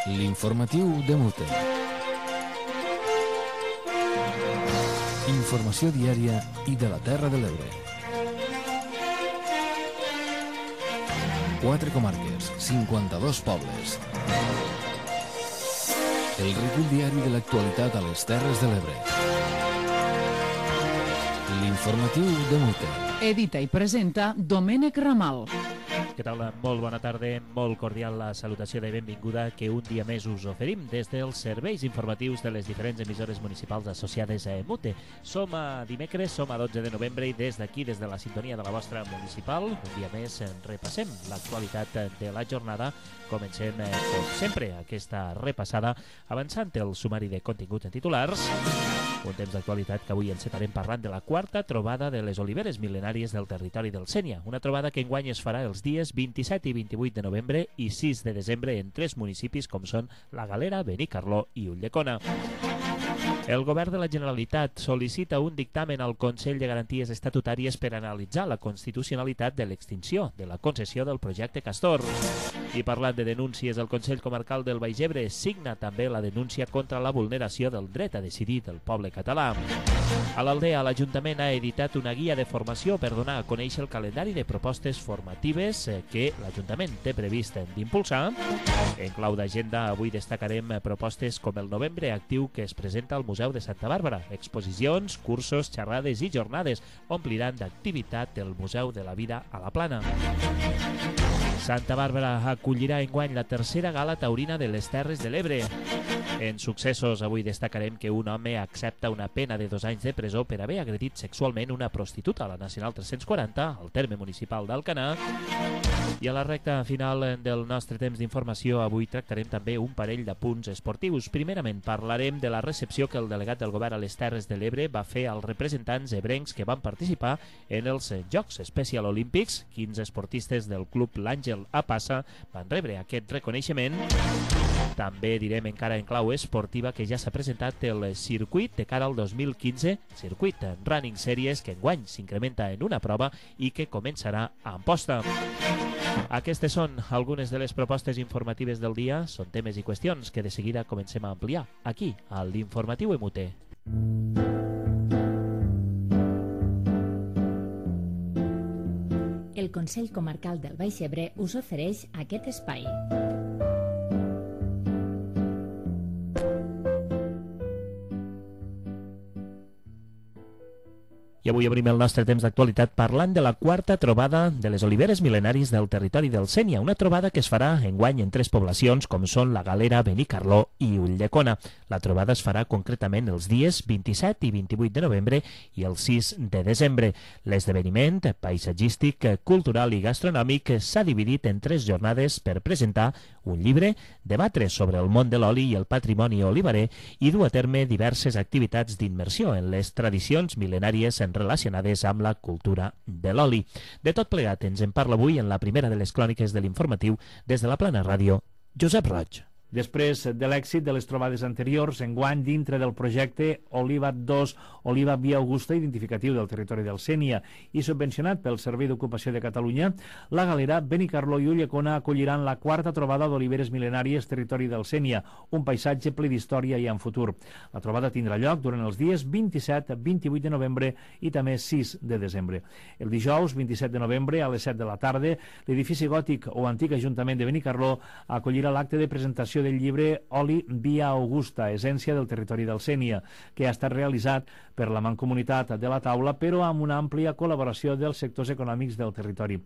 L'informatiu de Mute. Informació diària i de la Terra de l'Ebre. 4 comarques, 52 pobles. El recull diari de l'actualitat a les Terres de l'Ebre. L'informatiu de Mute. Edita i presenta Domènec Ramal. Què tal? Molt bona tarda, molt cordial la salutació de benvinguda que un dia més us oferim des dels serveis informatius de les diferents emissores municipals associades a Mute. Som a dimecres, som a 12 de novembre i des d'aquí, des de la sintonia de la vostra municipal, un dia més repassem l'actualitat de la jornada. Comencem, com sempre, aquesta repassada avançant el sumari de continguts en titulars. Un temps d'actualitat que avui encetarem parlant de la quarta trobada de les oliveres mil·lenàries del territori del Sénia. Una trobada que enguany es farà els dies 27 i 28 de novembre i 6 de desembre en 3 municipis com són La Galera, Benicarló i Ulldecona. El govern de la Generalitat sol·licita un dictamen al Consell de Garanties Estatutàries per analitzar la constitucionalitat de l'extinció de la concessió del projecte Castor. I parlant de denúncies, el Consell Comarcal del Baix Ebre signa també la denúncia contra la vulneració del dret a decidir del poble català. A l'Aldea, l'Ajuntament ha editat una guia de formació per donar a conèixer el calendari de propostes formatives que l'Ajuntament té previst d'impulsar. En clau d'agenda, avui destacarem propostes com el Novembre Actiu que es presenta al Museu de Santa Bàrbara. Exposicions, cursos, xerrades i jornades ompliran d'activitat el Museu de la Vida a la Plana. Santa Bàrbara acollirà enguany la tercera gala taurina de les Terres de l'Ebre. En successos, avui destacarem que un home accepta una pena de 2 anys de presó per haver agredit sexualment una prostituta a la Nacional 340, al terme municipal d'Alcanar. I a la recta final del nostre temps d'informació, avui tractarem també un parell de punts esportius. Primerament, parlarem de la recepció que el delegat del govern a les Terres de l'Ebre va fer als representants ebrencs que van participar en els Jocs Special Olímpics. 15 esportistes del club L'Àngel a Passa van rebre aquest reconeixement. També direm encara en clau esportiva que ja s'ha presentat el circuit de cara al 2015, circuit Running Series, que enguany s'incrementa en una prova i que començarà a Amposta. Aquestes són algunes de les propostes informatives del dia. Són temes i qüestions que de seguida comencem a ampliar aquí, a l'Informatiu Mute. El Consell Comarcal del Baix Ebre us ofereix aquest espai. I avui obrim el nostre temps d'actualitat parlant de la quarta trobada de les oliveres mil·lenàries del territori del Sénia, una trobada que es farà enguany en 3 poblacions com són La Galera, Benicarló i Ulldecona. La trobada es farà concretament els dies 27 i 28 de novembre i el 6 de desembre. L'esdeveniment paisatgístic, cultural i gastronòmic s'ha dividit en 3 jornades per presentar un llibre, debatre sobre el món de l'oli i el patrimoni oliverer i dur a terme diverses activitats d'immersió en les tradicions mil·lenàries relacionades amb la cultura de l'oli. De tot plegat ens en parla avui en la primera de les cròniques de l'informatiu des de la Plana Ràdio, Josep Roig. Després de l'èxit de les trobades anteriors, enguany dintre del projecte Oliva 2, Oliva Via Augusta, identificatiu del territori del Sénia i subvencionat pel Servei d'Ocupació de Catalunya, La Galera, Benicarló i Ulldecona acolliran la quarta trobada d'oliveres mil·lenàries territori del Sénia, un paisatge ple d'història i en futur. La trobada tindrà lloc durant els dies 27, 28 de novembre i també 6 de desembre. El dijous 27 de novembre a les 7 de la tarda, l'edifici gòtic o antic Ajuntament de Benicarló acollirà l'acte de presentació del llibre Oli Via Augusta, essència del territori del Sénia, que ha estat realitzat per la Mancomunitat de la Taula, però amb una àmplia col·laboració dels sectors econòmics del territori.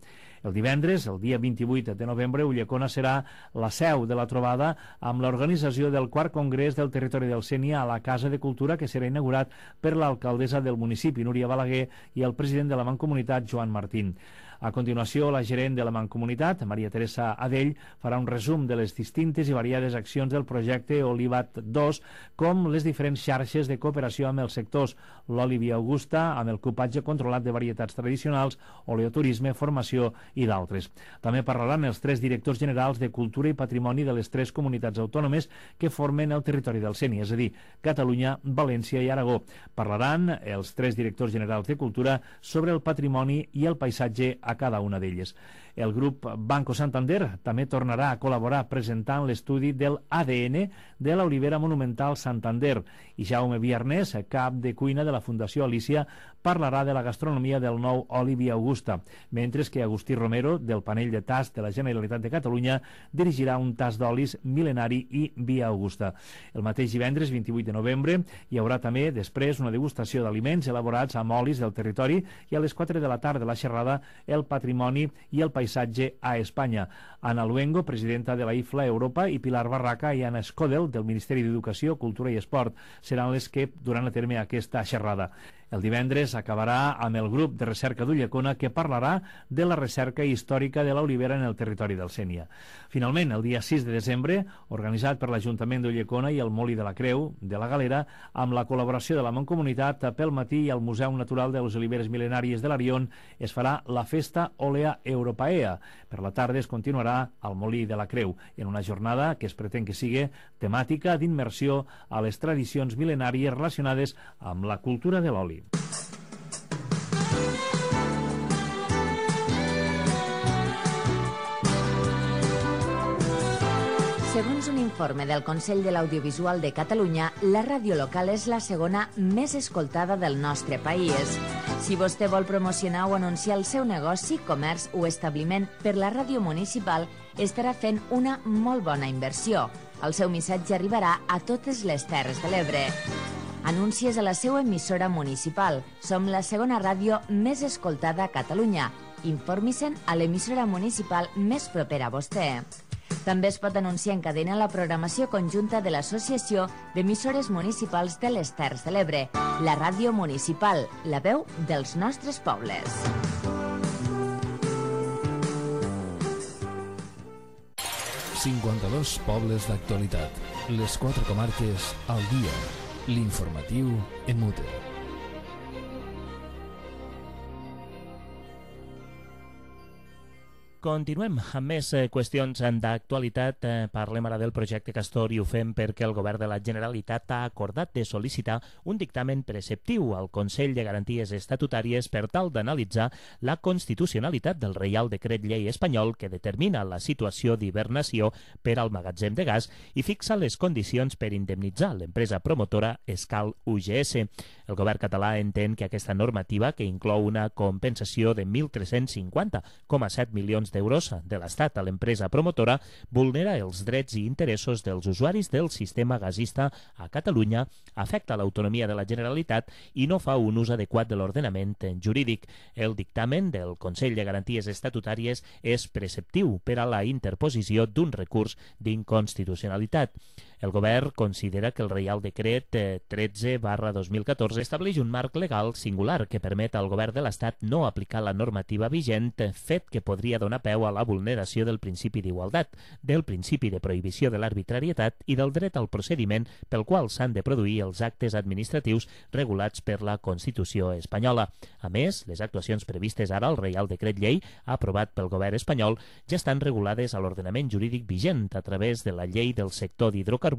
El divendres, el dia 28 de novembre, Ulldecona serà la seu de la trobada amb l'organització del 4 Congrés del Territori del Sénia a la Casa de Cultura, que serà inaugurat per l'alcaldessa del municipi, Núria Balaguer, i el president de la Mancomunitat, Joan Martín. A continuació, la gerent de la Mancomunitat, Maria Teresa Adell, farà un resum de les distintes i variades accions del projecte Olivat 2, com les diferents xarxes de cooperació amb els sectors, l'oli Via Augusta, amb el cupatge controlat de varietats tradicionals, oleoturisme, formació i d'altres. També parlaran els 3 directors generals de Cultura i Patrimoni de les 3 comunitats autònomes que formen el territori del Sénia, és a dir, Catalunya, València i Aragó. Parlaran els 3 directors generals de Cultura sobre el patrimoni i el paisatge a cada una d'elles. El grup Banco Santander també tornarà a col·laborar presentant l'estudi del ADN de l'olivera monumental Santander i Jaume Viernes, cap de cuina de la Fundació Alícia, parlarà de la gastronomia del nou oli Via Augusta, mentre que Agustí Romero, del panell de tast de la Generalitat de Catalunya, dirigirà un tast d'olis mil·lenari i Via Augusta. El mateix divendres 28 de novembre hi haurà també després una degustació d'aliments elaborats amb olis del territori i a les 4 de la tarda la xerrada El patrimoni i el paisatge a Espanya. Ana Luengo, presidenta de la IFLA Europa, i Pilar Barraca i Anna Scodel, del Ministeri d'Educació, Cultura i Esport, seran les que duran a terme aquesta xerrada. El divendres acabarà amb el grup de recerca d'Ulldecona, que parlarà de la recerca històrica de l'olivera en el territori del Sénia. Finalment, el dia 6 de desembre, organitzat per l'Ajuntament d'Ulldecona i el Molí de la Creu de la Galera, amb la col·laboració de la Mancomunitat, pel matí al Museu Natural de les Oliveres Mil·lenàries de l'Arion es farà la Festa Olea Europaea. Per la tarda es continuarà al Molí de la Creu, en una jornada que es pretén que sigui temàtica d'immersió a les tradicions mil·lenàries relacionades amb la cultura de l'oli. Segons un informe del Consell de l'Audiovisual de Catalunya, la ràdio local és la segona més escoltada del nostre país. Si vostè vol promocionar o anunciar el seu negoci, comerç o establiment per la ràdio municipal, estarà fent una molt bona inversió. El seu missatge arribarà a totes les Terres de l'Ebre. Anuncies a la seva emissora municipal. Som la segona ràdio més escoltada a Catalunya. Informi-se'n a l'emissora municipal més propera a vostè. També es pot anunciar en cadena la programació conjunta de l'Associació d'Emissores Municipals de les Terres de l'Ebre, la ràdio municipal, la veu dels nostres pobles. ...52 pobles d'actualitat. Les 4 comarques al dia. L'informatiu en Mute. Continuem amb més qüestions d'actualitat. Parlem ara del projecte Castor i ho fem perquè el Govern de la Generalitat ha acordat de sol·licitar un dictamen preceptiu al Consell de Garanties Estatutàries per tal d'analitzar la constitucionalitat del Reial Decret Llei espanyol que determina la situació d'hibernació per al magatzem de gas i fixa les condicions per indemnitzar l'empresa promotora Escal UGS. El Govern català entén que aquesta normativa, que inclou una compensació de 1.350,7 milions d'euros de l'Estat a l'empresa promotora, vulnera els drets i interessos dels usuaris del sistema gasista a Catalunya, afecta l'autonomia de la Generalitat i no fa un ús adequat de l'ordenament jurídic. El dictamen del Consell de Garanties Estatutàries és preceptiu per a la interposició d'un recurs d'inconstitucionalitat. El Govern considera que el Reial Decret 13/2014 estableix un marc legal singular que permet al Govern de l'Estat no aplicar la normativa vigent, fet que podria donar peu a la vulneració del principi d'igualtat, del principi de prohibició de l'arbitrarietat i del dret al procediment pel qual s'han de produir els actes administratius regulats per la Constitució espanyola. A més, les actuacions previstes ara al Reial Decret Llei, aprovat pel Govern espanyol, ja estan regulades a l'ordenament jurídic vigent a través de la Llei del sector d'hidrocarburs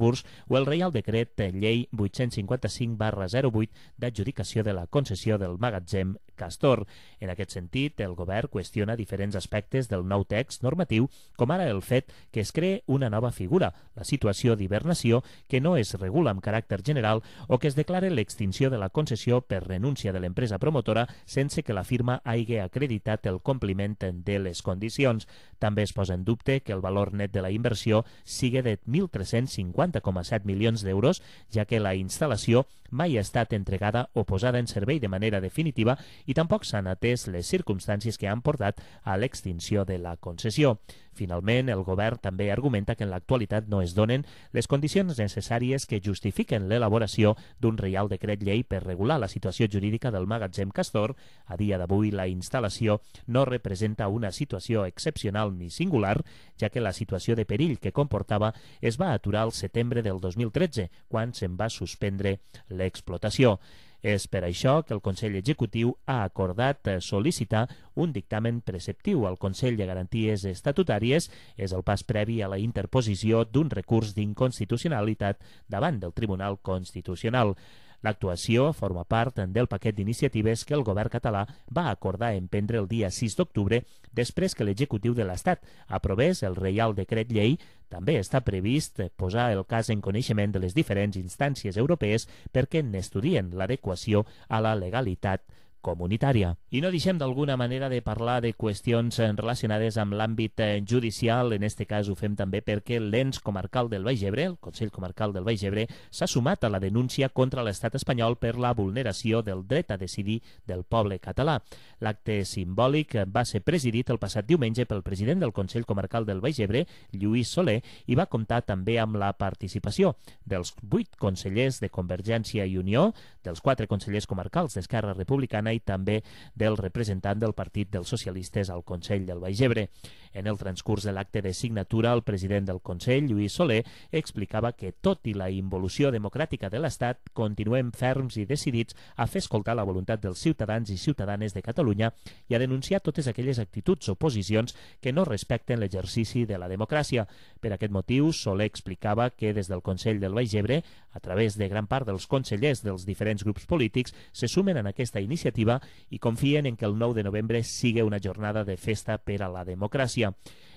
o el Reial Decret Llei 855/08 d'adjudicació de la concessió del magatzem Castor. En aquest sentit, el Govern qüestiona diferents aspectes del nou text normatiu, com ara el fet que es cree una nova figura, la situació d'hibernació, que no es regula amb caràcter general, o que es declare l'extinció de la concessió per renúncia de l'empresa promotora sense que la firma hagi acreditat el compliment de les condicions. També es posa en dubte que el valor net de la inversió sigui de 1.350,7 milions d'euros, ja que la instal·lació mai ha estat entregada o posada en servei de manera definitiva i tampoc s'han atès les circumstàncies que han portat a l'extinció de la concessió. Finalment, el Govern també argumenta que en l'actualitat no es donen les condicions necessàries que justifiquen l'elaboració d'un Reial Decret Llei per regular la situació jurídica del magatzem Castor. A dia d'avui, la instal·lació no representa una situació excepcional ni singular, ja que la situació de perill que comportava es va aturar al setembre del 2013, quan se'n va suspendre l'explotació. És per això que el Consell Executiu ha acordat sol·licitar un dictamen preceptiu al Consell de Garanties Estatutàries. És el pas previ a la interposició d'un recurs d'inconstitucionalitat davant del Tribunal Constitucional. L'actuació forma part del paquet d'iniciatives que el govern català va acordar emprendre el dia 6 d'octubre després que l'executiu de l'Estat aprovés el Reial Decret Llei. També està previst posar el cas en coneixement de les diferents instàncies europees perquè n'estudien l'adequació a la legalitat comunitària. I no deixem d'alguna manera de parlar de qüestions relacionades amb l'àmbit judicial. En este cas ho fem també perquè l'ens comarcal del Baix Ebre, el Consell Comarcal del Baix Ebre, s'ha sumat a la denúncia contra l'estat espanyol per la vulneració del dret a decidir del poble català. L'acte simbòlic va ser presidit el passat diumenge pel president del Consell Comarcal del Baix Ebre, Lluís Soler, i va comptar també amb la participació dels 8 consellers de Convergència i Unió, dels 4 consellers comarcals d'Esquerra Republicana i també del representant del Partit dels Socialistes al Consell del Baix Ebre. En el transcurs de l'acte de signatura, el president del Consell, Lluís Soler, explicava que, tot i la involució democràtica de l'Estat, continuem ferms i decidits a fer escoltar la voluntat dels ciutadans i ciutadanes de Catalunya i a denunciar totes aquelles actituds o posicions que no respecten l'exercici de la democràcia. Per aquest motiu, Soler explicava que des del Consell del Baix Ebre, a través de gran part dels consellers dels diferents grups polítics, se sumen en aquesta iniciativa i confien en que el 9 de novembre sigui una jornada de festa per a la democràcia.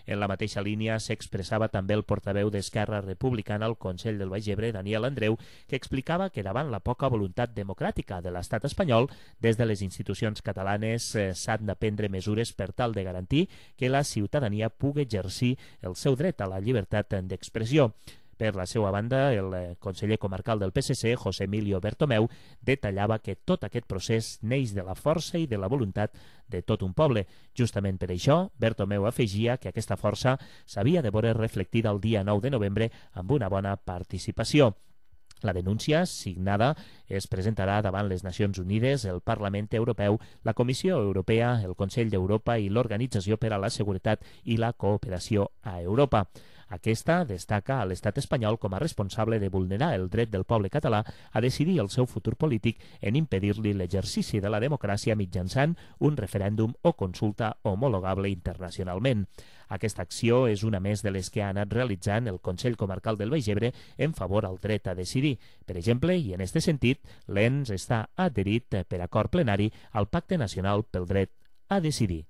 En la mateixa línia s'expressava també el portaveu d'Esquerra Republicana al Consell del Baix Ebre, Daniel Andreu, que explicava que davant la poca voluntat democràtica de l'estat espanyol, des de les institucions catalanes s'han de prendre mesures per tal de garantir que la ciutadania pugui exercir el seu dret a la llibertat d'expressió. Per la seva banda, el conseller comarcal del PSC, José Emilio Bertomeu, detallava que tot aquest procés neix de la força i de la voluntat de tot un poble. Justament per això, Bertomeu afegia que aquesta força s'havia de veure reflectida el dia 9 de novembre amb una bona participació. La denúncia signada es presentarà davant les Nacions Unides, el Parlament Europeu, la Comissió Europea, el Consell d'Europa i l'Organització per a la Seguretat i la Cooperació a Europa. Aquesta destaca a l'estat espanyol com a responsable de vulnerar el dret del poble català a decidir el seu futur polític en impedir-li l'exercici de la democràcia mitjançant un referèndum o consulta homologable internacionalment. Aquesta acció és una més de les que ha anat realitzant el Consell Comarcal del Baix Ebre en favor al dret a decidir. Per exemple, i en aquest sentit, l'ENS està adherit per acord plenari al Pacte Nacional pel Dret a Decidir.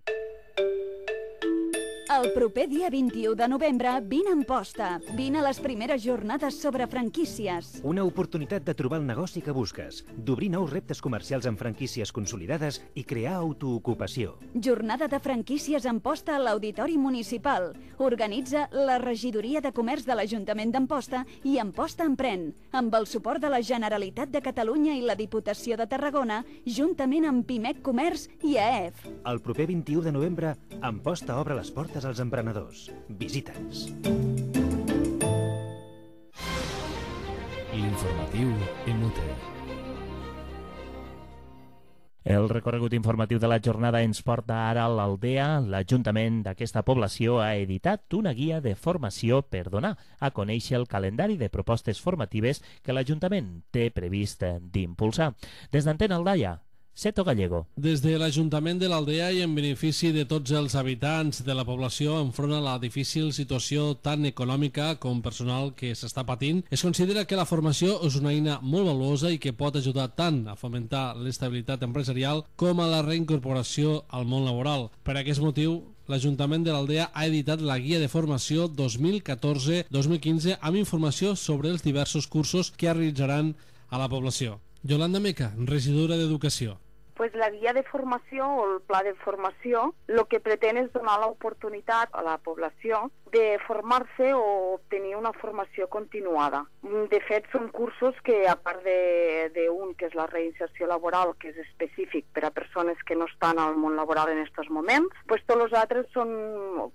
El proper dia 21 de novembre, vine a Amposta. Vine a les primeres jornades sobre franquícies. Una oportunitat de trobar el negoci que busques, d'obrir nous reptes comercials amb franquícies consolidades i crear autoocupació. Jornada de franquícies a Amposta a l'Auditori Municipal. Organitza la Regidoria de Comerç de l'Ajuntament d'Amposta i Amposta Emprèn, amb el suport de la Generalitat de Catalunya i la Diputació de Tarragona, juntament amb Pimec Comerç i AEF. El proper 21 de novembre, Amposta obre les portes als emprenedors. Visita'ns. L'informatiu Emute. El recorregut informatiu de la jornada ens porta ara a l'Aldea. L'Ajuntament d'aquesta població ha editat una guia de formació per donar a conèixer el calendari de propostes formatives que l'Ajuntament té previst d'impulsar. Des d'Antena Aldaia, Seto Gallego. Des de l'Ajuntament de l'Aldea i en benefici de tots els habitants de la població enfront a la difícil situació tant econòmica com personal que s'està patint, es considera que la formació és una eina molt valuosa i que pot ajudar tant a fomentar l'estabilitat empresarial com a la reincorporació al món laboral. Per aquest motiu, l'Ajuntament de l'Aldea ha editat la Guia de Formació 2014-2015 amb informació sobre els diversos cursos que realitzaran a la població. Yolanda Meca, regidora d'Educació. Pues la guia de formació o el pla de formació el que pretén és donar l'oportunitat a la població de formar-se o obtenir una formació continuada. De fet, són cursos que, a part d'un, que és la reinserció laboral, que és específic per a persones que no estan al món laboral en aquests moments, pues tots els altres són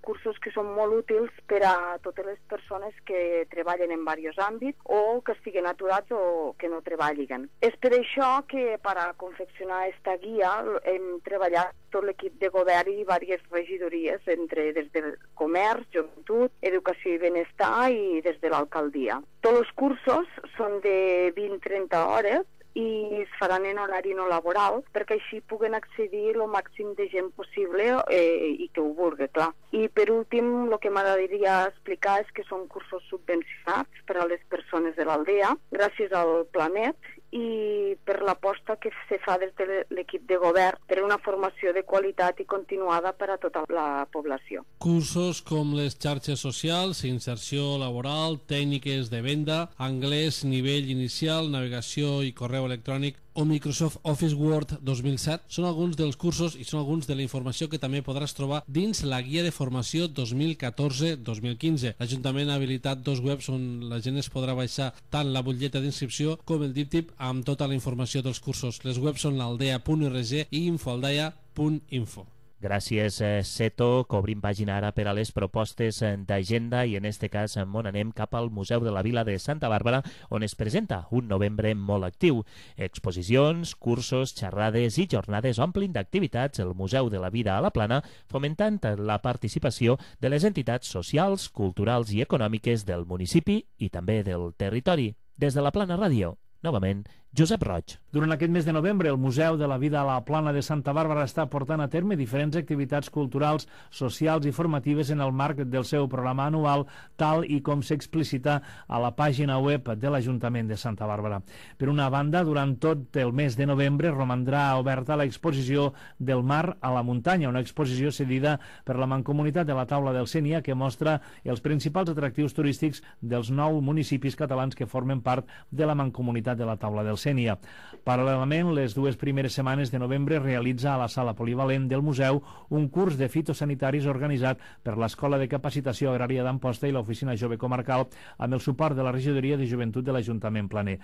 cursos que són molt útils per a totes les persones que treballen en diversos àmbits o que estiguen aturats o que no treballen. És per això que per a confeccionar aquesta guia hem treballat tot l'equip de govern i diverses regidories, des del comerç, joventut, educació i benestar i des de l'alcaldia. Tots els cursos són de 20-30 hores i es faran en horari no laboral perquè així puguen accedir el màxim de gent possible i que ho vulgui, clar. I per últim, el que m'agradaria explicar és que són cursos subvencionats per a les persones de l'Aldea gràcies al Planet i per l'aposta que se fa des de l'equip de govern per una formació de qualitat i continuada per a tota la població. Cursos com les xarxes socials, inserció laboral, tècniques de venda, anglès, nivell inicial, navegació i correu electrònic o Microsoft Office Word 2007 són alguns dels cursos i són alguns de la informació que també podràs trobar dins la guia de formació 2014-2015. L'Ajuntament ha habilitat 2 webs on la gent es podrà baixar tant la butlleta d'inscripció com el díptic amb tota la informació dels cursos. Les webs són l'aldea.org i infoaldea.info. Gràcies, Seto. Cobrim pàgina ara per a les propostes d'agenda i en este cas on anem cap al Museu de la Vila de Santa Bàrbara, on es presenta un novembre molt actiu. Exposicions, cursos, xerrades i jornades omplin d'activitats el Museu de la Vida a la Plana, fomentant la participació de les entitats socials, culturals i econòmiques del municipi i també del territori. Des de la Plana Ràdio, novament, Josep Roig. Durant aquest mes de novembre, el Museu de la Vida a la Plana de Santa Bàrbara està portant a terme diferents activitats culturals, socials i formatives en el marc del seu programa anual, tal i com s'explicita a la pàgina web de l'Ajuntament de Santa Bàrbara. Per una banda, durant tot el mes de novembre romandrà oberta l'exposició del mar a la muntanya, una exposició cedida per la Mancomunitat de la Taula del Sénia que mostra els principals atractius turístics dels 9 municipis catalans que formen part de la Mancomunitat de la Taula del Sénia. Paral·lelament, les 2 primeres setmanes de novembre realitza a la sala polivalent del museu un curs de fitosanitaris organitzat per l'Escola de Capacitació Agrària d'Amposta i l'Oficina Jove Comarcal amb el suport de la Regidoria de Joventut de l'Ajuntament Planer.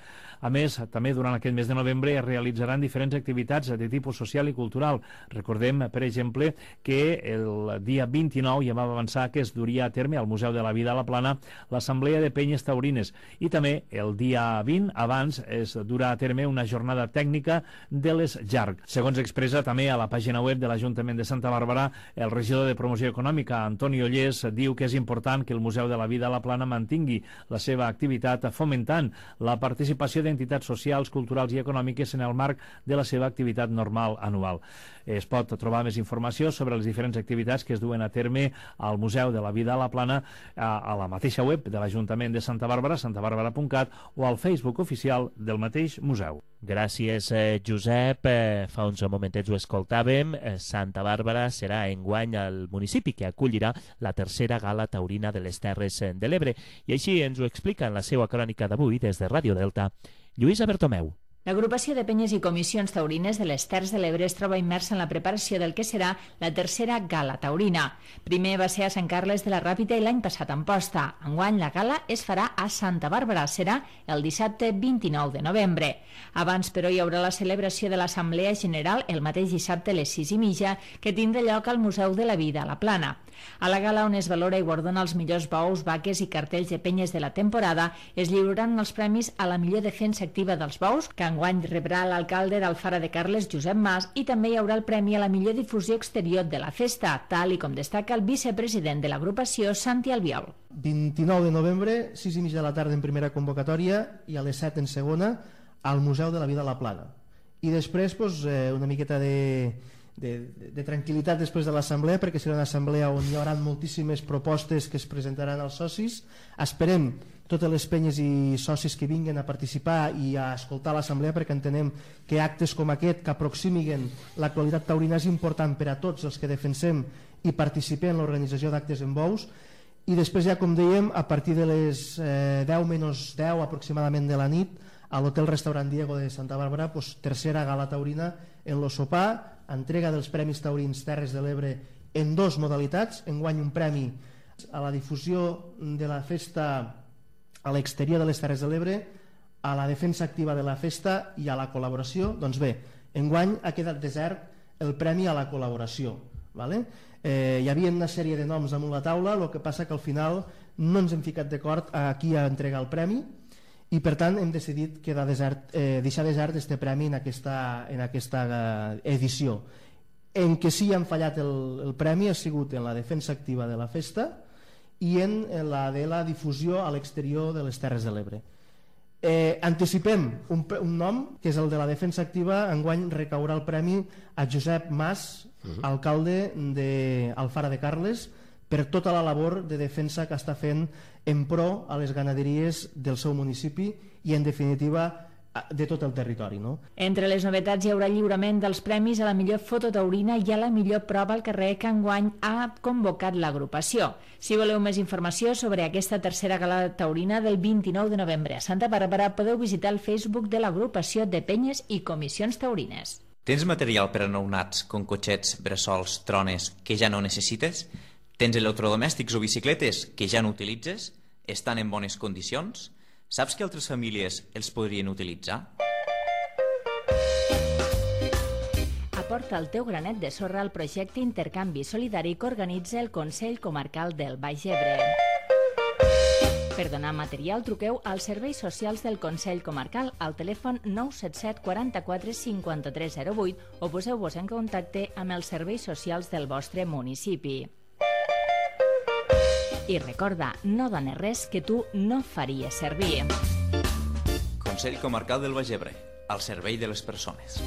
A més, també durant aquest mes de novembre es realitzaran diferents activitats de tipus social i cultural. Recordem, per exemple, que el dia 29 ja va avançar que es duria a terme al Museu de la Vida a la Plana l'Assemblea de Penyes Taurines i també el dia 20 abans es durà a terme una jornada tècnica de les JARC. Segons expressa també a la pàgina web de l'Ajuntament de Santa Bàrbara, el regidor de Promoció Econòmica, Antoni Ollés, diu que és important que el Museu de la Vida a la Plana mantingui la seva activitat fomentant la participació d'entitats socials, culturals i econòmiques en el marc de la seva activitat normal anual. Es pot trobar més informació sobre les diferents activitats que es duen a terme al Museu de la Vida a la Plana a la mateixa web de l'Ajuntament de Santa Bàrbara, santabarbara.cat, o al Facebook oficial del mateix museu. Gràcies, Josep. Fa uns momentets ho escoltàvem. Santa Bàrbara serà enguany el municipi que acollirà la tercera gala taurina de les Terres de l'Ebre. I així ens ho explica en la seva crònica d'avui des de Ràdio Delta, Lluïsa Bertomeu. L'agrupació de penyes i comissions taurines de les Terres de l'Ebre es troba immersa en la preparació del que serà la tercera gala taurina. Primer va ser a Sant Carles de la Ràpita i l'any passat a Amposta. Enguany la gala es farà a Santa Bàrbara, serà el dissabte 29 de novembre. Abans, però, hi haurà la celebració de l'Assemblea General el mateix dissabte a les 6:30, que tindrà lloc al Museu de la Vida a la Plana. A la gala, on es valora i guardona els millors bous, vaques i cartells de penyes de la temporada, es lliuraran els premis a la millor defensa activa dels bous, que enguany rebrà l'alcalde d'Alfara de Carles, Josep Mas, i també hi haurà el premi a la millor difusió exterior de la festa, tal i com destaca el vicepresident de l'agrupació, Santi Albiol. 29 de novembre, 6:30 de la tarda en primera convocatòria i a les 7 en segona al Museu de la Vida a la Plana. I després una miqueta de tranquil·litat després de l'assemblea, perquè serà una assemblea on hi haurà moltíssimes propostes que es presentaran als socis. Esperem totes les penyes i socis que vinguin a participar i a escoltar l'assemblea, perquè entenem que actes com aquest que aproximiguen l'actualitat taurina és important per a tots els que defensem i participem en l'organització d'actes en bous. I després ja, com dèiem, a partir de les 10:10 aproximadament de la nit, a l'Hotel Restaurant Diego de Santa Bàrbara, tercera gala taurina en lo sopar, entrega dels Premis Taurins Terres de l'Ebre en 2 modalitats. Enguany un premi a la difusió de la festa a l'exterior de les Terres de l'Ebre, a la defensa activa de la festa i a la col·laboració. Doncs bé, enguany ha quedat desert el premi a la col·laboració, vale? Hi havia una sèrie de noms damunt la taula, el que passa que al final no ens hem ficat d'acord a qui ha d'entregar el premi i per tant hem decidit deixar desert este premi en aquesta edició. En què sí han fallat el premi ha sigut en la defensa activa de la festa i en la de la difusió a l'exterior de les Terres de l'Ebre. Anticipem un nom, que és el de la defensa activa. Enguany recaurà el premi a Josep Mas, alcalde d'Alfara de Carles, per tota la labor de defensa que està fent en pro a les ganaderies del seu municipi i, en definitiva, de tot el territori, no? Entre les novetats hi haurà lliurament dels premis a la millor foto taurina i a la millor prova al carrer que enguany ha convocat l'agrupació. Si voleu més informació sobre aquesta tercera gala taurina del 29 de novembre a Santa Bàrbara, podeu visitar el Facebook de l'agrupació de penyes i comissions taurines. Tens material per a nounats, com cotxets, bressols, trones, que ja no necessites? Tens electrodomèstics o bicicletes que ja no utilitzes? Estan en bones condicions? Saps que altres famílies els podrien utilitzar? Aporta el teu granet de sorra al projecte Intercanvi Solidari que organitza el Consell Comarcal del Baix Ebre. Per donar material, truqueu als serveis socials del Consell Comarcal al telèfon 977 44 53 08 o poseu-vos en contacte amb els serveis socials del vostre municipi. I recorda, no dones res que tu no faries servir. Consell Comarcal del Baix Ebre, al servei de les persones.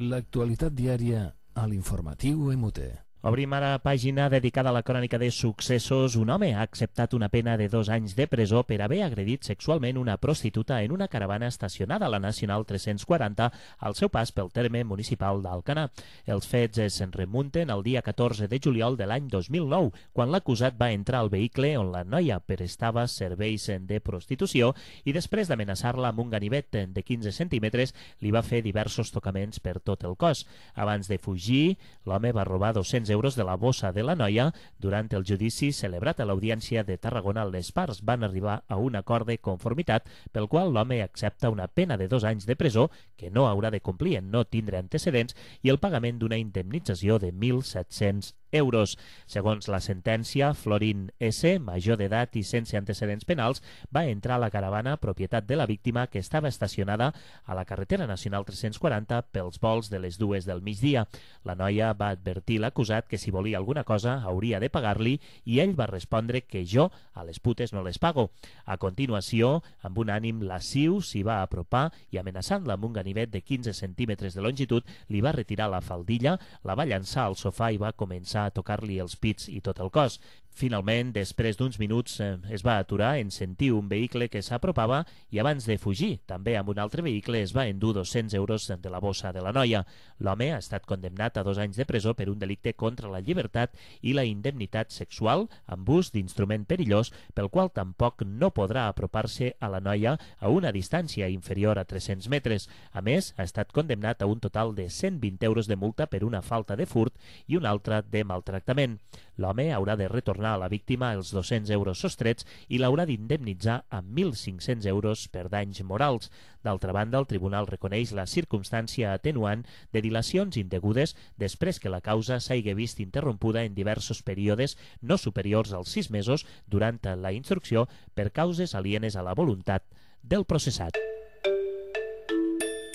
L'actualitat diària a l'informatiu MUT. Obrim ara pàgina dedicada a la crònica de successos. Un home ha acceptat una pena de 2 anys de presó per haver agredit sexualment una prostituta en una caravana estacionada a la Nacional 340 al seu pas pel terme municipal d'Alcanar. Els fets es remunten al dia 14 de juliol de l'any 2009, quan l'acusat va entrar al vehicle on la noia prestava serveis de prostitució i després d'amenaçar-la amb un ganivet de 15 centímetres li va fer diversos tocaments per tot el cos. Abans de fugir, l'home va robar 200 euros de la bossa de la noia. Durant el judici celebrat a l'Audiència de Tarragona, les parts van arribar a un acord de conformitat pel qual l'home accepta una pena de 2 anys de presó que no haurà de complir en no tindre antecedents i el pagament d'una indemnització de 1.700 euros. Segons la sentència, Florín S., major d'edat i sense antecedents penals, va entrar a la caravana propietat de la víctima que estava estacionada a la carretera nacional 340 pels volts de les 2 del migdia. La noia va advertir l'acusat que si volia alguna cosa hauria de pagar-li i ell va respondre que jo a les putes no les pago. A continuació, amb un ànim lasciu, s'hi va apropar i amenaçant-la amb un ganivet de 15 centímetres de longitud, li va retirar la faldilla, la va llançar al sofà i va començar a tocar-li els pits i tot el cos. Finalment, després d'uns minuts, es va aturar en sentir un vehicle que s'apropava i abans de fugir, també amb un altre vehicle, es va endur 200 euros de la bossa de la noia. L'home ha estat condemnat a 2 anys de presó per un delicte contra la llibertat i la indemnitat sexual amb ús d'instrument perillós, pel qual tampoc no podrà apropar-se a la noia a una distància inferior a 300 metres. A més, ha estat condemnat a un total de 120 euros de multa per una falta de furt i una altra de maltractament. L'home haurà de retornar a la víctima els 200 euros sostrets i l'haurà d'indemnitzar amb 1.500 euros per danys morals. D'altra banda, el tribunal reconeix la circumstància atenuant de dilacions indegudes després que la causa s'hagi vist interrompuda en diversos períodes no superiors als 6 mesos durant la instrucció per causes alienes a la voluntat del processat.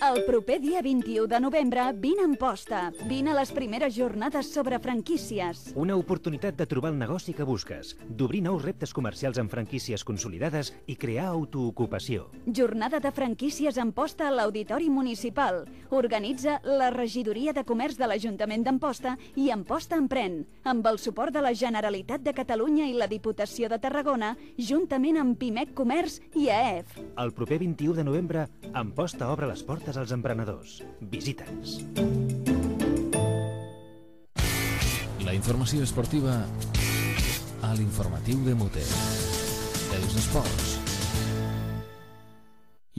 El proper dia 21 de novembre, vine a Amposta. Vine a les primeres jornades sobre franquícies. Una oportunitat de trobar el negoci que busques, d'obrir nous reptes comercials amb franquícies consolidades i crear autoocupació. Jornada de franquícies a Amposta a l'Auditori Municipal. Organitza la Regidoria de Comerç de l'Ajuntament d'Amposta i Amposta Emprèn, amb el suport de la Generalitat de Catalunya i la Diputació de Tarragona, juntament amb Pimec Comerç i AEF. El proper 21 de novembre, Amposta obre les portes als emprenedors. Visita'ns. La informació esportiva a l'informatiu de MUT. Els esports.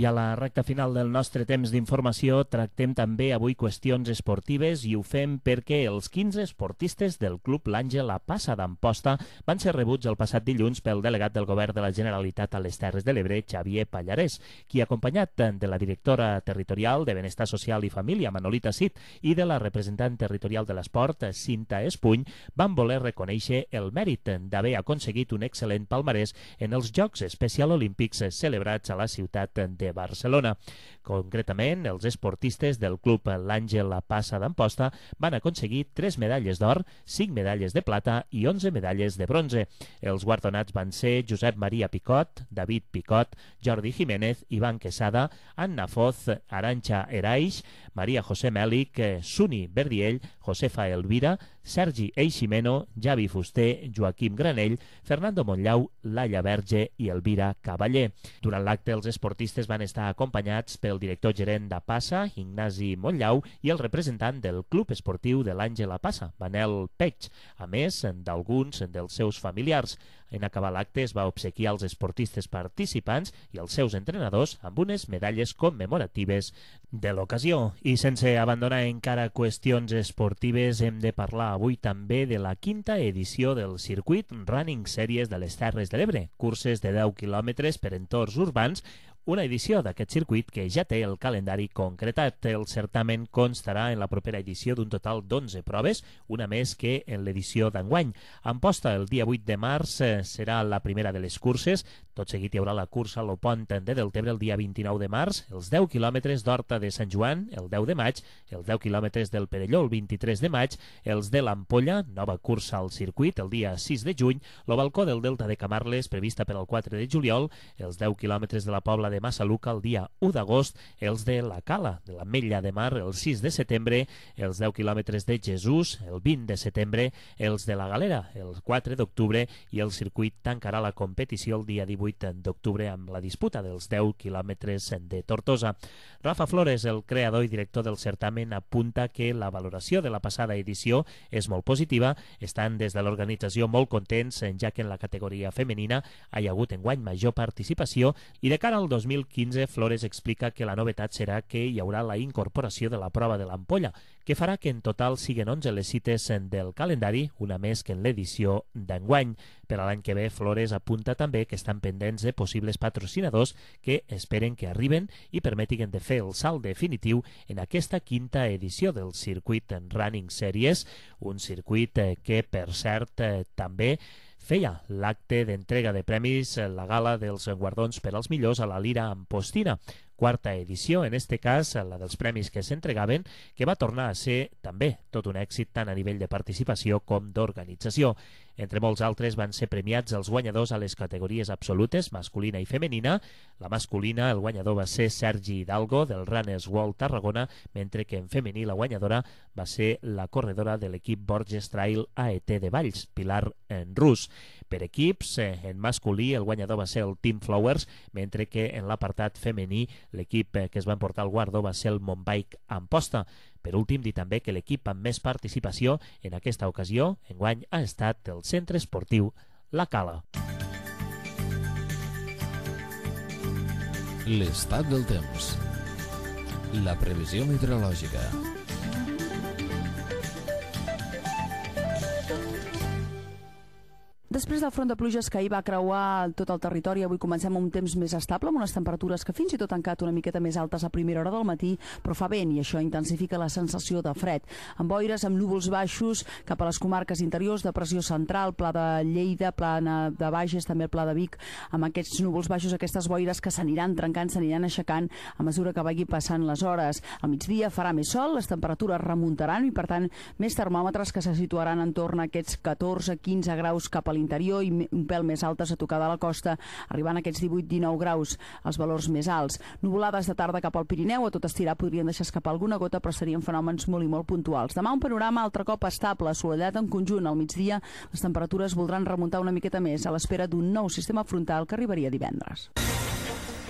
I a la recta final del nostre temps d'informació tractem també avui qüestions esportives i ho fem perquè els 15 esportistes del Club l'Àngel a Passa d'Amposta van ser rebuts el passat dilluns pel delegat del Govern de la Generalitat a les Terres de l'Ebre, Xavier Pallarès, qui, acompanyat de la directora territorial de Benestar Social i Família, Manolita Cid, i de la representant territorial de l'esport, Cinta Espuny, van voler reconèixer el mèrit d'haver aconseguit un excel·lent palmarès en els Jocs Especial Olímpics celebrats a la ciutat de Barcelona. Concretament, els esportistes del Club l'Àngel a Passa d'Amposta van aconseguir 3 medalles d'or, 5 medalles de plata i 11 medalles de bronze. Els guardonats van ser Josep Maria Picot, David Picot, Jordi Jiménez, Ivan Quesada, Anna Foz, Arantxa Eraix, Maria José Mèlic, Suni Verdiell, Josefa Elvira, Sergi Eiximeno, Javi Fuster, Joaquim Granell, Fernando Montllau, Laia Verge i Elvira Cavaller. Durant l'acte, els esportistes van estar acompanyats pel director gerent d'Apassa, Ignasi Montllau, i el representant del Club Esportiu de l'Àngel Apassa, Manel Peix, a més d'alguns dels seus familiars. En acabar l'acte es va obsequiar als esportistes participants i als seus entrenadors amb unes medalles commemoratives de l'ocasió. I sense abandonar encara qüestions esportives, hem de parlar avui també de la 5a edició del circuit Running Series de les Terres de l'Ebre, curses de 10 quilòmetres per entorns urbans, una edició d'aquest circuit que ja té el calendari concretat. El certamen constarà en la propera edició d'un total d'11 proves, una més que en l'edició d'enguany. En posta el dia 8 de març serà la primera de les curses. Tot seguit hi haurà la cursa a l'Opont de Deltebre el dia 29 de març, els 10 quilòmetres d'Horta de Sant Joan el 10 de maig, els 10 quilòmetres del Perelló el 23 de maig, els de l'Ampolla, nova cursa al circuit el dia 6 de juny, l'Obalcó del Delta de Camarles prevista per al 4 de juliol, els 10 quilòmetres de la Pobla de Massaluca el dia 1 d'agost, els de la Cala, de l'Ametlla de Mar el 6 de setembre, els 10 quilòmetres de Jesús el 20 de setembre, els de la Galera el 4 d'octubre i el circuit tancarà la competició el dia 18 d'octubre amb la disputa dels 10 quilòmetres de Tortosa. Rafa Flores, el creador i director del certamen, apunta que la valoració de la passada edició és molt positiva. Estan des de l'organització molt contents, ja que en la categoria femenina hi ha hagut enguany major participació, i de cara al 2015 Flores explica que la novetat serà que hi haurà la incorporació de la prova de l'ampolla, que farà que en total siguin 11 les cites del calendari, una més que en l'edició d'enguany. Per a l'any que ve, Flores apunta també que estan pendents de possibles patrocinadors que esperen que arriben i permetin de fer el salt definitiu en aquesta 5a edició del circuit Running Series, un circuit que, per cert, també feia l'acte d'entrega de premis, la gala dels guardons per als millors a la Lira Ampostina. 4a edició, en este cas, la dels premis que s'entregaven, que va tornar a ser també tot un èxit tant a nivell de participació com d'organització. Entre molts altres van ser premiats els guanyadors a les categories absolutes, masculina i femenina. La masculina, el guanyador va ser Sergi Hidalgo, del Runners World Tarragona, mentre que en femení la guanyadora va ser la corredora de l'equip Borges Trail AET de Valls, Pilar Rus. Per equips, en masculí el guanyador va ser el Team Flowers, mentre que en l'apartat femení l'equip que es va emportar el guardó va ser el Montbike Amposta. Per últim, dir també que l'equip amb més participació en aquesta ocasió, enguany, ha estat el Centre Esportiu La Cala. L'estat del temps. La previsió meteorològica. Després del front de pluges que ahir va creuar tot el territori, avui comencem amb un temps més estable, amb unes temperatures que fins i tot han quedat una miqueta més altes a primera hora del matí, però fa vent i això intensifica la sensació de fred. Amb boires, amb núvols baixos cap a les comarques interiors, de pressió central, Pla de Lleida, Plana de Bages, també el Pla de Vic, amb aquests núvols baixos, aquestes boires que s'aniran trencant, s'aniran aixecant a mesura que vagi passant les hores. Al migdia farà més sol, les temperatures remuntaran i, per tant, més termòmetres que se situaran entorn a aquests 14-15 graus cap a l'interior i un pèl més altes a tocar de la costa, arribant a aquests 18-19 graus, els valors més alts. Nuvolades de tarda cap al Pirineu, a tot estirar podrien deixar escapar alguna gota, però serien fenòmens molt i molt puntuals. Demà un panorama altre cop estable, assolellat en conjunt. Al migdia les temperatures voldran remuntar una miqueta més, a l'espera d'un nou sistema frontal que arribaria divendres.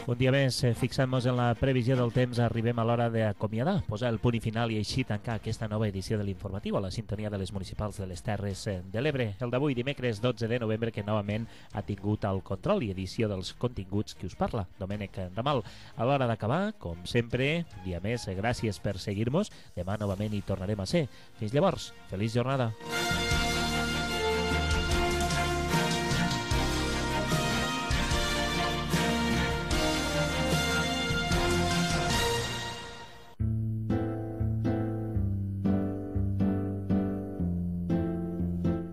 Un dia més, fixant-nos en la previsió del temps, arribem a l'hora d'acomiadar, posar el punt i final i així tancar aquesta nova edició de l'informatiu a la sintonia de les municipals de les Terres de l'Ebre. El d'avui, dimecres 12 de novembre, que novament ha tingut el control i edició dels continguts que us parla, Domènec Ramal. A l'hora d'acabar, com sempre, un dia més, gràcies per seguir-nos. Demà novament hi tornarem a ser. Fins llavors, feliç jornada.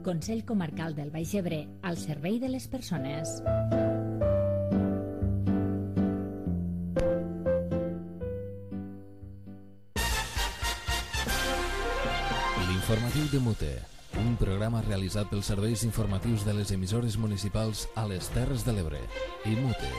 Consell Comarcal del Baix Ebre, al servei de les persones. L'informatiu de Mute, un programa realitzat pels serveis informatius de les emissores municipals a les Terres de l'Ebre i Mute.